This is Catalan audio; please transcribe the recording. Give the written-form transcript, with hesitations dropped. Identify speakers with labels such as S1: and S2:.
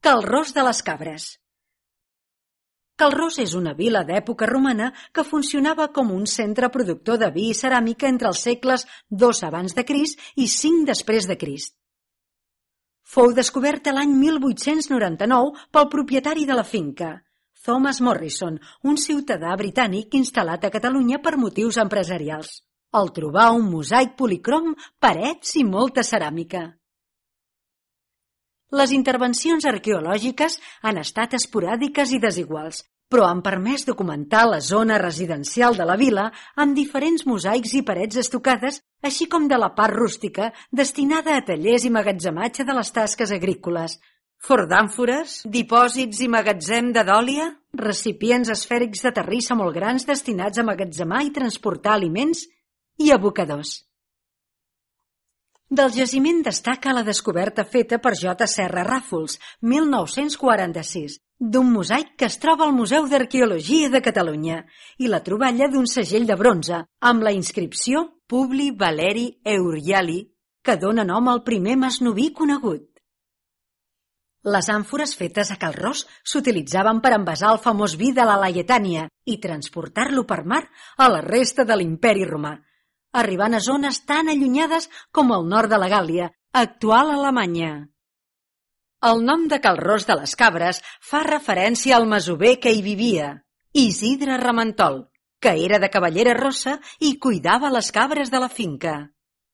S1: Cal Ros de les Cabres. Cal Ros és una vila d'època romana que funcionava com un centre productor de vi i ceràmica entre els segles II abans de Crist i V després de Crist. Fou descoberta l'any 1899 pel propietari de la finca, Thomas Morrison, un ciutadà britànic instal·lat a Catalunya per motius empresarials. Al trobar un mosaic policrom, parets i molta ceràmica. Les intervencions arqueològiques han estat esporàdiques i desiguals, però han permès documentar la zona residencial de la vila amb diferents mosaics i parets estucades, així com de la part rústica destinada a tallers i magatzematge de les tasques agrícoles, forn d'àmfores, dipòsits i magatzem de dòlia, recipients esfèrics de terrissa molt grans destinats a magatzemar i transportar aliments i abocadors. Del jaciment destaca la descoberta feta per J. Serra Ràfols, 1946, d'un mosaic que es troba al Museu d'Arqueologia de Catalunya i la troballa d'un segell de bronze amb la inscripció Publi Valeri Euriali, que dóna nom al primer masnoví conegut. Les àmfores fetes a Cal Ros s'utilitzaven per envasar el famós vi de la Laietània i transportar-lo per mar a la resta de l'Imperi Romà, arribant a zones tan allunyades com el nord de la Gàl·lia, actual Alemanya. El nom de Cal Ros de les Cabres fa referència al masover que hi vivia, Isidre Ramentol, que era de Cavallera Rossa i cuidava les cabres de la finca.